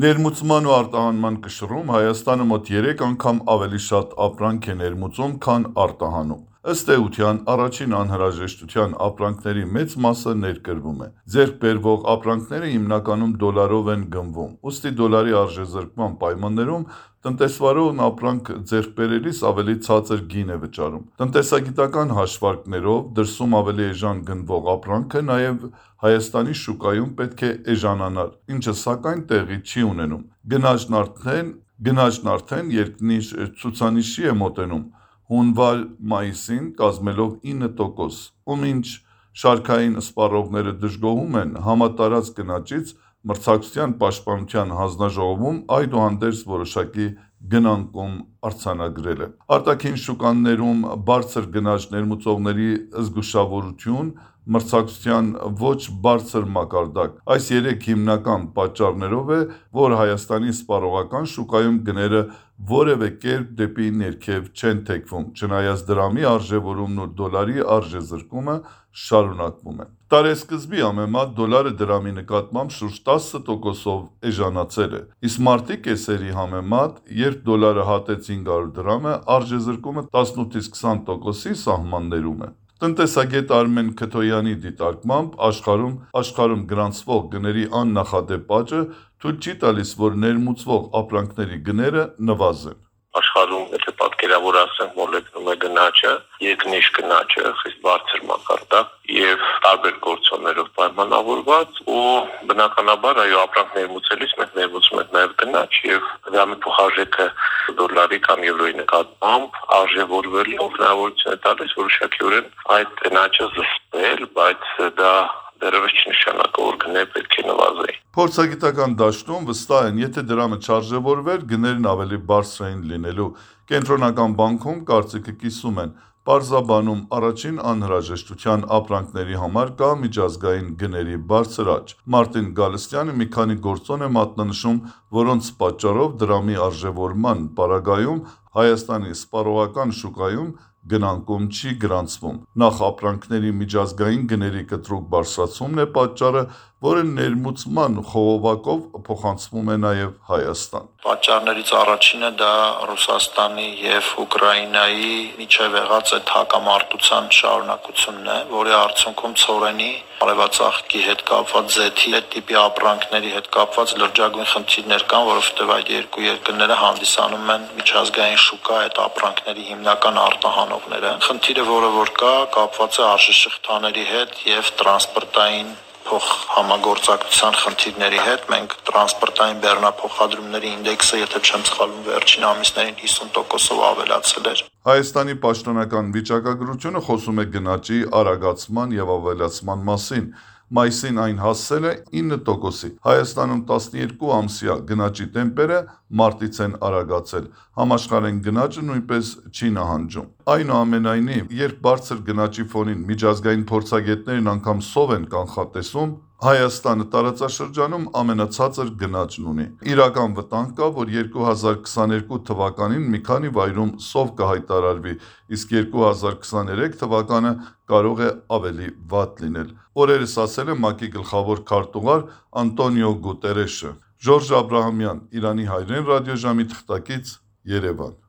Ներմուծման ու արտահանման կշռում Հայաստանը մոտ 3 անգամ ավելի շատ ապրանք է ներմուծում, քան արտահանում։ Ըստ էության, առաջին անհրաժեշտության ապրանքների մեծ մասը ներկրվում է։ Ձեռք բերվող ապրանքները հիմնականում դոլարով են գնվում, ուստի դոլարի արժեզրկման պայմաններում տնտեսվարողն ապրանք ձեռք բերելիս ավելի ցածր գին է վճարում։ Տնտեսագիտական հաշվարկներով դրսում ավելի էժան գնվող ապրանքը նաև Հայաստանի շուկայում պետք է էժանանար, ինչը սակայն տեղի չի ունենում։ Գնաճն արդեն երկնի ցուցանիշի է մոտենում, հունվար-մայիսին կազմելով 9%, ու մինչ շարքային սպառողները դժգոհում են համատարած գնաճից, մրցակցության պաշտպանության հանձնաժողովում այդուհանդերձ որոշակի գնանկում արձանագրել է։ Արտաքին շուկաներում բարձր գնաճ ներմուծողների զգուշավորություն, մրցակցության ոչ բարձր մակարդակ։ Այս երեք հիմնական պատճառներով է, որ Հայաստանի սպառողական շուկայում գները որևէ կերպ դեպի ներքև չեն թեքվում, չնայած դրամի արժևորումն ու դոլարի արժեզրկումը շարունակվում է։ Տարեսկզբի համեմատ դոլարը դրամի նկատմամբ շուրջ 10%-ով էժանացել է, իսկ մարտի կեսերի համեմատ, երբ դոլարը հատեց 500 դրամը, արժեզրկումը 18-20%-ի սահմաններում է։ Տնտեսագետ Արմեն Քթոյանի դիտարկմամբ աշխարհում գրանցվող գների աննախադեպ աճը թույլ չի տալիս, որ ներմուծվող ապրանքների գները նվազեն։ Աշխարհում, եթե պատկերավոր ասենք, մոլեգնում է գնաճը, երկնիշ գնաճը, խիստ բարձր մակարդակ եւ տարբեր գործոններով պայմանավորված, ու բնականաբար այո, ապրանք ներմուծելիս մենք ներմուծում ենք նաեւ գնաճ եւ դրամի փոխարժեքը դոլարի կամ եվրոյի նկատմամբ արժևորվելու հնարավորություն է տալիս որոշակիորեն այդ գնաճը զսպել, բայց դա դեռևս չնշանակում, որ գները պետք է նվազեին։ Փորձագիտական դաշտում վստահ են, եթե դրամը չարժևորվեր, գներն ավելի բարձր էին լինելու։ Կենտրոնական բանկում կարծիքը կիսում են։ Պարզաբանում առաջին անհրաժեշտության ապրանքների համար կա միջազգային գների բարձր աճ։ Մարտին Գալստյանը մի քանի գործոն է մատնանշում, որոնց պատճառով դրամի արժևորման պարագայում Հայաստանի սպառողական շուկայում գնանկում չի գրանցվում։ Նախ ապրանքների միջազգային գների կտրուկ բարձրացումն է պատճառը, որը ներմուծման խողովակով փոխանցվում է նաև Հայաստան։ Պատճառներից առաջինը դա Ռուսաստանի եւ Ուկրաինայի միջև եղած այդ հակամարտության շարունակությունն է, որի արդյունքում ցորենի արևածաղկի հետ կապված զեթի այդ տիպի ապրանքների հետ կապված լրջագույն խնդիրներ կան, որովհետեւ այդ երկու երկրները հանդիսանում են միջազգային շուկա այդ ապրանքների հիմնական արտահանողները։ Խնդիրը, որը որ կա, կապված է արժեշղթաների հետ եւ տրանսպորտային փոխհամագործակցության խնդիրների հետ։ Մենք տրանսպորտային բեռնափոխադրումների ինդեքսը, եթե չեմ սխալվում, վերջին ամիսներին 50%-ով ավելացել էր։ Հայաստանի պաշտոնական վիճակագրությունը խոսում է գնաճի արագացման եւ ավելացման մասին։ Մայիսին այն հասել է 9%-ի։ Հայաստանում 12 ամսյա գնաճի տեմպերը մարտից են արագացել։ Համաշխարհային գնաճը նույնպես չի նահանջում։ Այնուամենայնիվ, երբ բարձր գնաճի ֆոնին միջազգային փորձագետներն անգամ սով են կանխատեսում, Հայաստանը տարածաշրջանում ամենացածր գնաճն ունի։ Իրական վտանգ կա, որ 2022 թվականին մի քանի վայրում սով կհայտարարվի, իսկ 2023 թվականը կարող է ավելի վատ լինել։ Օրերս ասել է ՄԱԿ-ի գլխավոր քարտուղար Անտոնիո Գուտերեշը։ Ժորժ Աբրահամյան, Իրանի հայրեն ռադիոժամի թղթակից, Երևան։